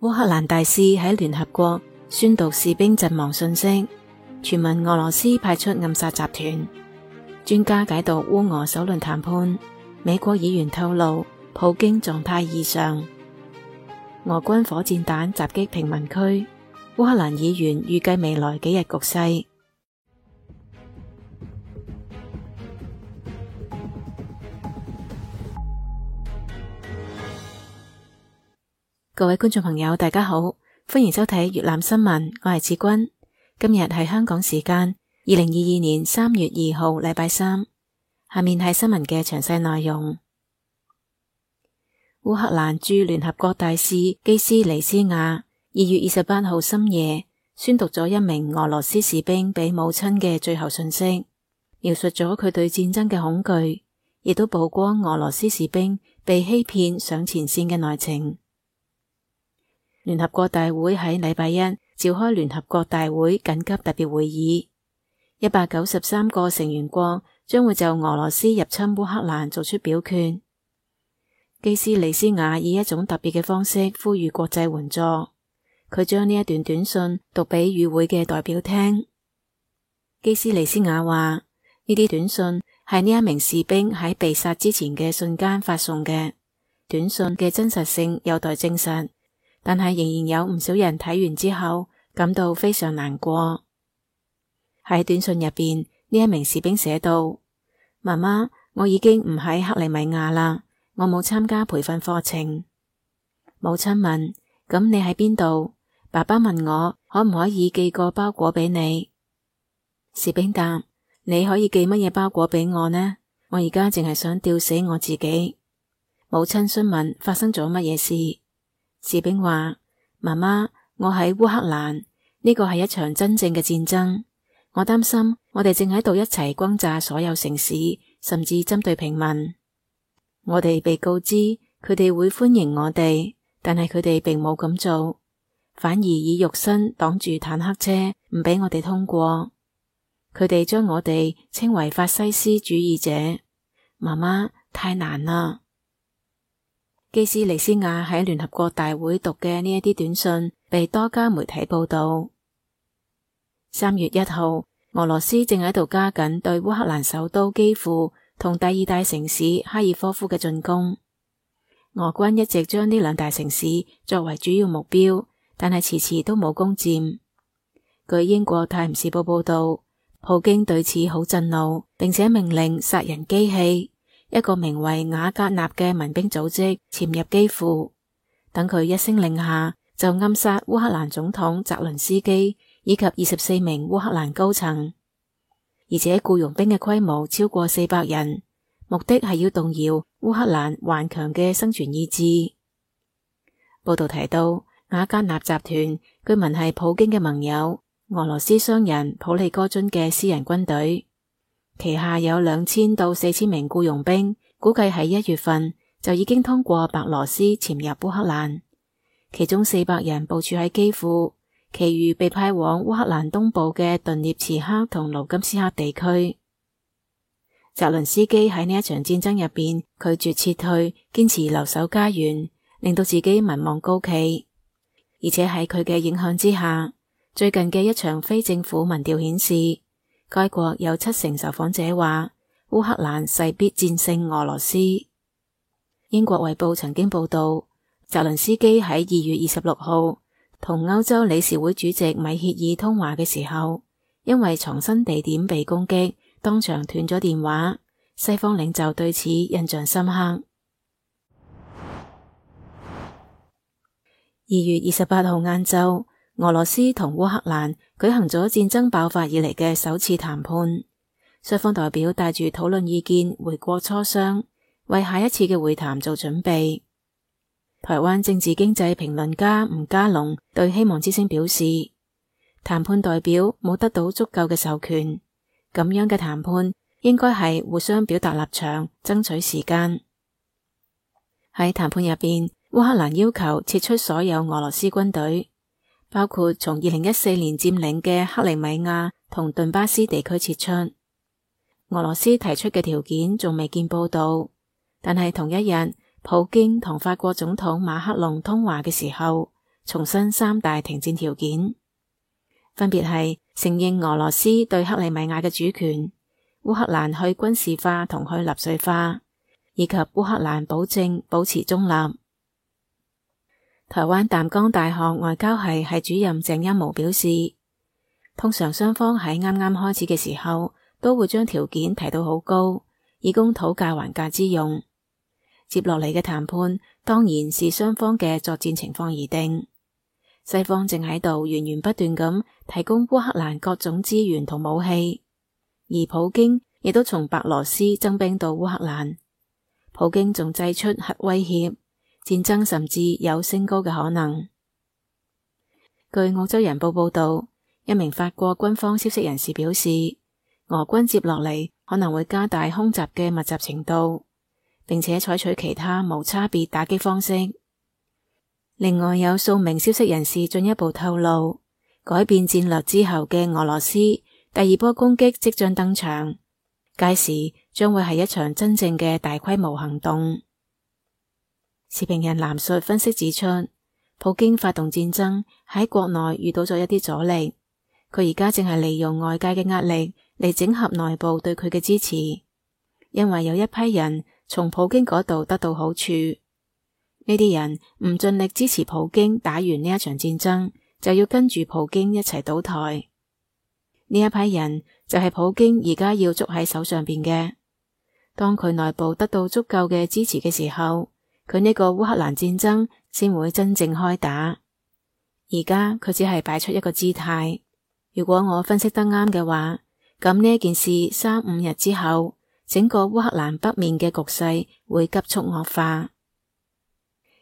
烏克蘭大使喺聯合國宣讀士兵陣亡訊息，傳聞俄羅斯派出暗殺集團。專家解讀烏俄首輪談判，美國議員透露普京狀態異常。俄軍火箭彈襲擊平民區，烏克蘭議員預計未來幾日局勢。各位觀眾朋友，大家好，歡迎收睇粵覽新聞，我係子君。今日係香港時間2022年3月2號禮拜三。下面係新聞嘅詳細內容。烏克蘭駐聯合國大使基斯尼斯亞2月28號深夜宣讀咗一名俄羅斯士兵俾母親嘅最後訊息，描述咗佢對戰爭嘅恐懼，亦都曝光俄羅斯士兵被欺騙上前線嘅內情。聯合國大會喺禮拜一召開聯合國大會緊急特別會議，193個成員國將會就俄羅斯入侵烏克蘭作出表決。基斯尼斯亞以一種特別嘅方式呼籲國際援助，佢將呢一段短信讀俾與會嘅代表聽。基斯尼斯亞話：呢啲短信係呢一名士兵喺被殺之前嘅瞬間發送嘅，短信嘅真實性有待證實。但係仍然有唔少人睇完之後感到非常難過。喺短信入邊，呢一名士兵寫道：媽媽，我已經唔喺克里米亞啦，我冇參加培訓課程。母親問：咁你喺邊度？爸爸問我可唔可以寄個包裹俾你？士兵答：你可以寄乜嘢包裹俾我呢？我而家淨係想吊死我自己。母親詢問發生咗乜嘢事。士兵話：媽媽，我喺烏克蘭，呢個係一場真正嘅戰爭。我擔心我哋正喺度一齊轟炸所有城市，甚至針對平民。我哋被告知佢哋會歡迎我哋，但係佢哋並冇咁做，反而以肉身擋住坦克車，唔俾我哋通過。佢哋將我哋稱為法西斯主義者。媽媽，太難啦！基斯尼斯亞喺聯合國大會讀嘅呢一啲短信被多家媒體報道。3月1號，俄羅斯正喺度加緊對烏克蘭首都基輔同第二大城市哈爾科夫嘅進攻。俄軍一直將呢兩大城市作為主要目標，但係遲遲都冇攻佔。據英國泰晤士報報道，普京對此好震怒，並且命令殺人機器，一個名為瓦格納嘅民兵組織潛入基輔，等佢一聲令下就暗殺烏克蘭總統澤倫斯基以及24名烏克蘭高層，而且僱傭兵嘅規模超過400人，目的係要動搖烏克蘭頑強嘅生存意志。報道提到，瓦格納集團據聞係普京嘅盟友，俄羅斯商人普利戈津嘅私人軍隊。旗下有2000到4000名僱傭兵，估計喺1月份就已經通過白羅斯潛入烏克蘭，其中400人部署喺基輔，其餘被派往烏克蘭東部嘅頓涅茨克同盧甘斯克地區。澤倫斯基喺呢一場戰爭入邊拒絕撤退，堅持留守家園，令到自己民望高企。而且喺佢嘅影響之下，最近嘅一場非政府民調顯示，該國有70%受訪者話烏克蘭勢必戰勝俄羅斯。英國衛報曾經報道，澤倫斯基喺2月26號同歐洲理事會主席米歇爾通話嘅時候，因為藏身地點被攻擊，當場斷咗電話。西方領袖對此印象深刻。2月28號晏晝，俄羅斯同烏克蘭舉行咗戰爭爆發以嚟嘅首次談判，雙方代表帶住討論意見回國磋商，為下一次嘅會談做準備。台灣政治經濟評論家吳家龍對希望之聲表示，談判代表冇得到足夠嘅授權，咁樣嘅談判應該係互相表達立場，爭取時間。喺談判入邊，烏克蘭要求撤出所有俄羅斯軍隊，包括從2014年佔領嘅克里米亞同頓巴斯地區撤出。俄羅斯提出嘅條件仲未見報道，但係同一日，普京同法國總統馬克龍通話嘅時候，重申三大停戰條件，分別係承認俄羅斯對克里米亞嘅主權，烏克蘭去軍事化同去納粹化，以及烏克蘭保證保持中立。台灣淡江大學外交系系主任鄭欽模表示，通常雙方喺啱啱開始嘅時候都會將條件提到好高，以供討價還價之用。接落嚟嘅談判當然是雙方嘅作戰情況而定。西方正喺度源源不斷咁提供烏克蘭各種資源同武器，而普京亦都從白羅斯增兵到烏克蘭。普京仲祭出核威脅，戰爭甚至有升高嘅可能。據澳洲人報報道，一名法國軍方消息人士表示，俄軍接落嚟可能會加大空襲嘅密集程度，並且採取其他無差別打擊方式。另外有數名消息人士進一步透露，改變戰略之後嘅俄羅斯第二波攻擊即將登場，屆時將會係一場真正嘅大規模行動。時評人藍述分析指出，普京發動戰爭喺國內遇到咗一啲阻力，佢而家正係利用外界嘅壓力嚟整合內部對佢嘅支持，因為有一批人從普京嗰度得到好處。呢啲人唔盡力支持普京打完呢一場戰爭，就要跟住普京一齊倒台。呢一批人就係普京而家要捉喺手上邊嘅。當佢內部得到足夠嘅支持嘅時候，佢呢個烏克蘭戰爭先會真正開打。而家佢只係擺出一個姿態。如果我分析得啱嘅話，咁呢件事3-5日之後，整個烏克蘭北面嘅局勢會急速惡化。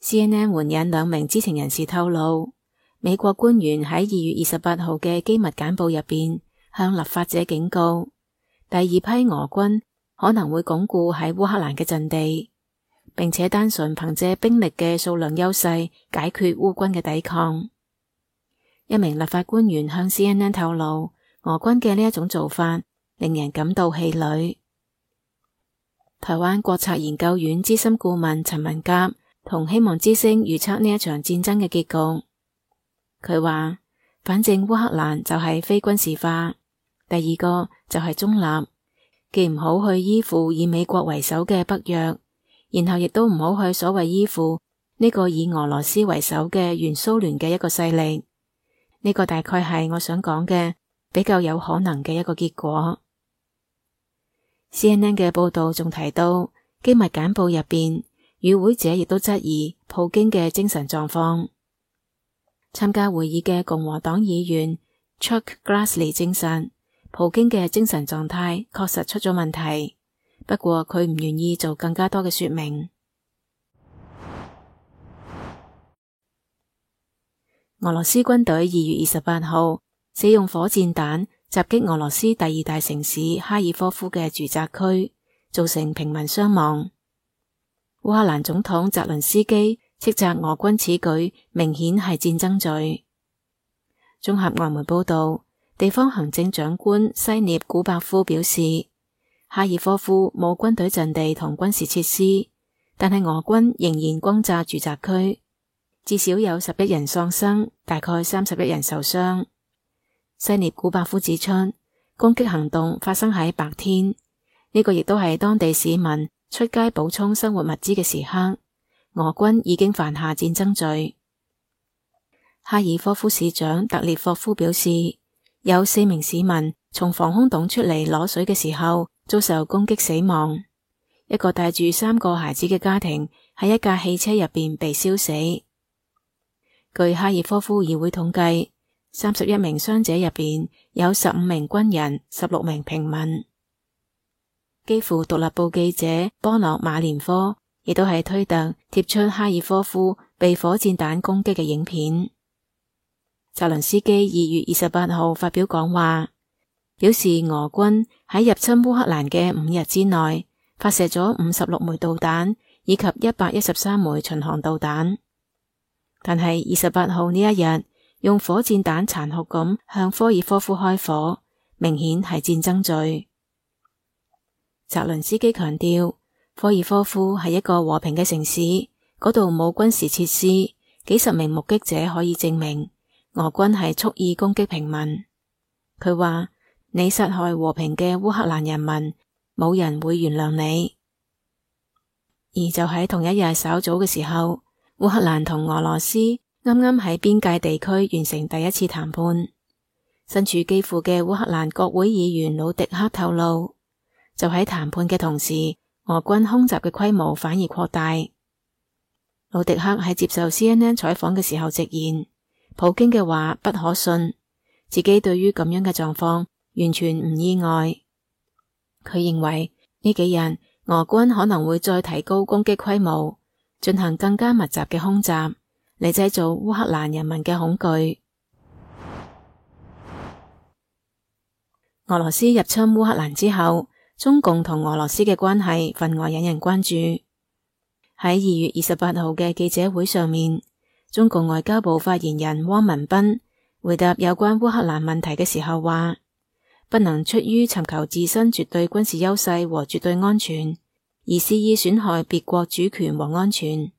CNN 援引2名知情人士透露，美國官員喺2月28號嘅機密簡報入邊向立法者警告，第二批俄軍可能會鞏固喺烏克蘭嘅陣地，並且單純憑借兵力嘅數量優勢解決烏軍嘅抵抗。一名立法官員向 CNN 透露，俄軍嘅呢一種做法令人感到氣餒。台灣國策研究院資深顧問陳文甲同希望之聲預測呢一場戰爭嘅結局。佢話，反正烏克蘭就係非軍事化，第二個就係中立，既唔好去依附以美國為首嘅北約，然後亦都唔好去所謂依附呢個以俄羅斯為首嘅原蘇聯嘅一個勢力。呢個大概係我想講嘅比較有可能嘅一個結果。CNN 嘅報道仲提到，機密簡報入邊，與會者亦都質疑普京嘅精神狀況。參加會議嘅共和黨議員 Chuck Grassley 證實，普京嘅精神狀態確實出咗問題，不過佢唔願意做更加多嘅說明。俄羅斯軍隊2月28號使用火箭彈襲擊俄羅斯第2大城市哈爾科夫嘅住宅區，造成平民傷亡。烏克蘭總統澤倫斯基斥責俄軍此舉明顯係戰爭罪。綜合外媒報道，地方行政長官西涅古伯夫表示，哈爾科夫冇軍隊陣地同軍事設施，但係俄軍仍然轟炸住宅區，至少有11人喪生，大概31人受傷。西涅古伯夫指出，攻擊行動發生喺白天，呢個亦都係當地市民出街補充生活物資嘅時刻，俄軍已經犯下戰爭罪。哈爾科夫市長特列霍夫表示，有4名市民從防空洞出嚟攞水嘅時候遭受攻擊死亡，一個帶住3個孩子嘅家庭喺一架汽車入邊被燒死。據哈爾科夫議會統計，31名傷者入邊有15名軍人，16名平民。基輔獨立報記者波諾馬連科亦都喺推特貼出哈爾科夫被火箭彈攻擊嘅影片。澤倫斯基2月28號發表講話，表示俄軍喺入侵烏克蘭嘅5日之內發射咗56枚導彈以及113枚巡航導彈，但係28號呢一日用火箭彈殘酷咁向科爾科夫開火，明顯係戰爭罪。澤倫斯基強調，科爾科夫係一個和平嘅城市，嗰度冇軍事設施，幾十名目擊者可以證明俄軍係蓄意攻擊平民。佢話：你殺害和平嘅烏克蘭人民，冇人會原諒你。而就喺同一日稍早嘅時候，烏克蘭同俄羅斯啱啱喺邊界地區完成第一次談判。身處基輔嘅烏克蘭國會議員魯迪克透露，就喺談判嘅同時，俄軍空襲嘅規模反而擴大。魯迪克喺接受 CNN 採訪嘅時候直言，普京嘅話不可信，自己對於咁樣嘅狀況完全唔意外。佢認為呢幾日俄軍可能會再提高攻擊規模，進行更加密集嘅空襲，嚟製造烏克蘭人民嘅恐懼。俄羅斯入侵烏克蘭之後，中共同俄羅斯嘅關係分外引人關注。喺2月28號嘅記者會上面，中共外交部發言人汪文斌回答有關烏克蘭問題嘅時候話，不能出於尋求自身絕對軍事優勢和絕對安全，而肆意損害別國主權和安全。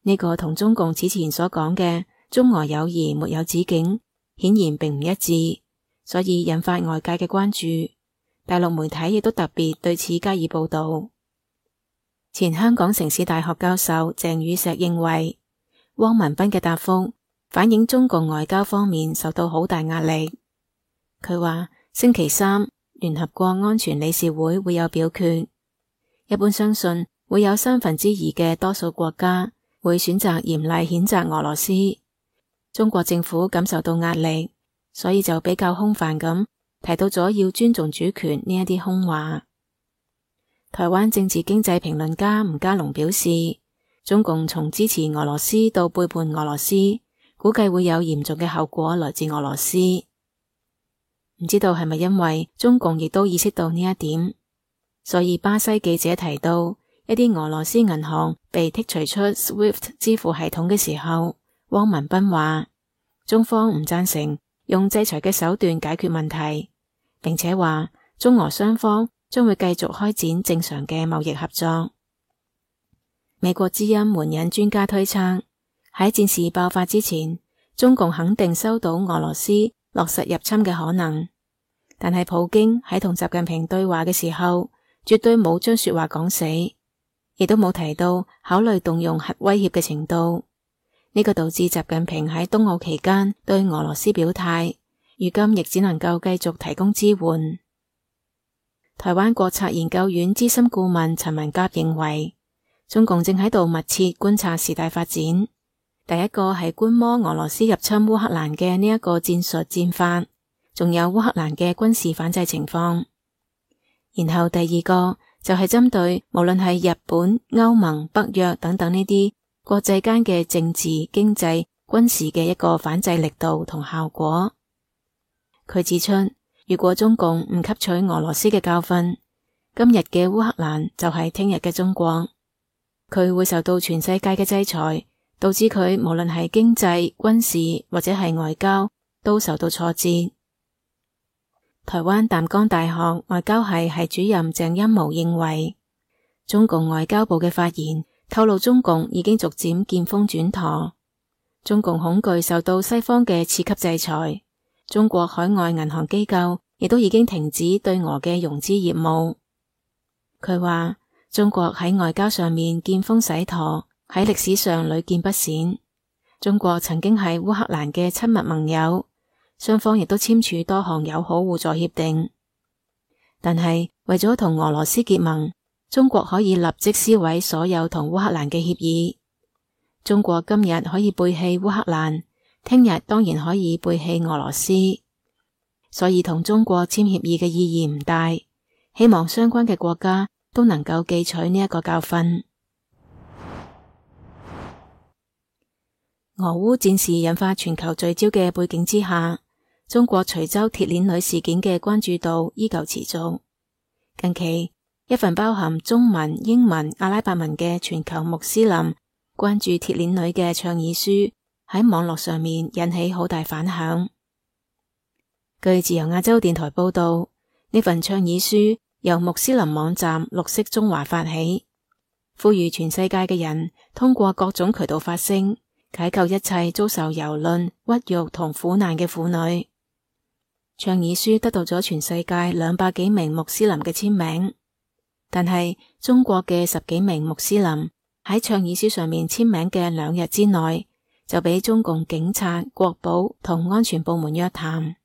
呢個同中共此前所講嘅中俄友誼沒有止境，顯然並唔一致，所以引發外界嘅關注。大陸媒體亦都特別對此加以報道。前香港城市大學教授鄭宇碩認為，汪文斌嘅答覆反映中共外交方面受到好大壓力。佢話星期三聯合國安全理事會會有表決，一般相信會有2/3嘅多數國家會選擇嚴厲譴責俄羅斯。中國政府感受到壓力，所以就比較空泛咁提到咗要尊重主權呢一啲空話。台灣政治經濟評論家吳家龍表示，中共從支持俄羅斯到背叛俄羅斯，估計會有嚴重嘅後果來自俄羅斯。唔知道係咪因為中共亦都意識到呢一點，所以巴西記者提到一啲俄羅斯銀行被剔除出 SWIFT 支付系統嘅時候，汪文斌話中方唔贊成用制裁嘅手段解決問題，並且話中俄雙方將會繼續開展正常嘅貿易合作。美國之音援引專家推測，喺戰事爆發之前，中共肯定收到俄羅斯落實入侵嘅可能，但係普京喺同習近平對話嘅時候，絕對冇將說話講死，亦都冇提到考慮動用核威脅嘅程度。呢個導致習近平喺冬奧期間對俄羅斯表態，如今亦只能夠繼續提供支援。台灣國策研究院資深顧問陳文甲認為，中共正喺度密切觀察事態發展。第一個係觀摩俄羅斯入侵烏克蘭嘅呢一個戰術戰法，仲有烏克蘭嘅軍事反制情況。然後第二個就係針對無論係日本、歐盟、北約等等呢啲國際間嘅政治、經濟、軍事嘅一個反制力度同效果。佢指出，如果中共唔吸取俄羅斯嘅教訓，今日嘅烏克蘭就係聽日嘅中國，佢會受到全世界嘅制裁，導致佢無論係經濟、軍事或者係外交都受到挫折。台灣淡江大學外交系主任鄭欽模認為，中共外交部嘅發言透露中共已經逐漸見風轉舵，中共恐懼受到西方嘅次級制裁。中國海外銀行機構亦都已經停止對俄嘅融資業務。佢話中國喺外交上面見風使舵，喺歷史上屢見不鮮。中國曾經係烏克蘭嘅親密盟友，雙方亦都簽署多項友好互助協定。但係為咗同俄羅斯結盟，中國可以立即撕毀所有同烏克蘭嘅協議。中國今日可以背棄烏克蘭，聽日當然可以背棄俄羅斯，所以同中國簽協議嘅意義唔大。希望相關嘅國家都能夠記取呢一個教訓。俄烏戰事引發全球聚焦嘅背景之下，中國徐州鐵鏈女事件嘅關注度依舊持續。近期，一份包含中文、英文、阿拉伯文嘅全球穆斯林關注鐵鏈女嘅倡議書喺網絡上面引起好大反響。據自由亞洲電台報道，呢份倡議書由穆斯林網站綠色中華發起，呼籲全世界嘅人通過各種渠道發聲，解救一切遭受蹂躪、屈辱同苦難嘅婦女。倡議書得到咗全世界200幾名穆斯林嘅簽名，但係中國嘅10幾名穆斯林喺倡議書上面簽名嘅2日之內，就俾中共警察、國保同安全部門約談。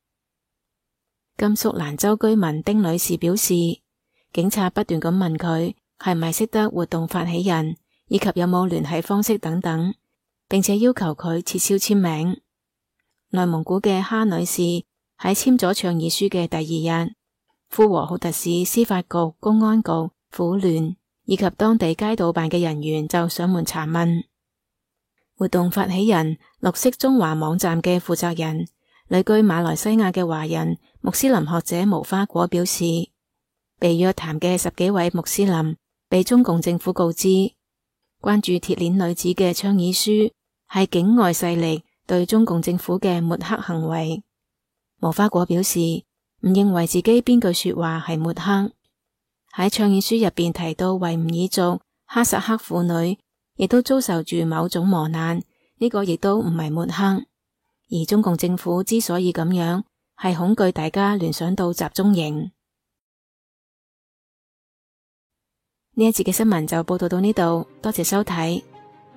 甘肅蘭州居民丁女士表示，警察不斷咁問佢係咪識得活動發起人，以及有冇聯繫方式等等，並且要求佢撤銷簽名。內蒙古嘅哈女士喺簽咗倡議書嘅第2日，呼和浩特市司法局、公安局、婦聯以及當地街道辦嘅人員就上門查問。活動發起人綠色中華網站嘅負責人、旅居馬來西亞嘅華人穆斯林學者無花果表示，被約談嘅10幾位穆斯林被中共政府告知，關注鐵鏈女子嘅倡議書係境外勢力對中共政府嘅抹黑行為。無花果表示唔認為自己邊句說話係抹黑。喺倡議書入邊提到維吾爾族、哈薩克婦女亦都遭受住某種磨難，呢個亦都唔係抹黑。而中共政府之所以咁樣，係恐懼大家聯想到集中營。呢一節嘅新聞就報道到呢度，多謝收睇。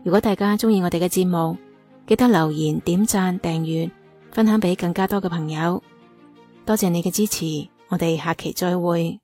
如果大家鍾意我哋嘅節目，記得留言、點讚、訂閱、分享俾更加多嘅朋友。多謝你嘅支持，我哋下期再會。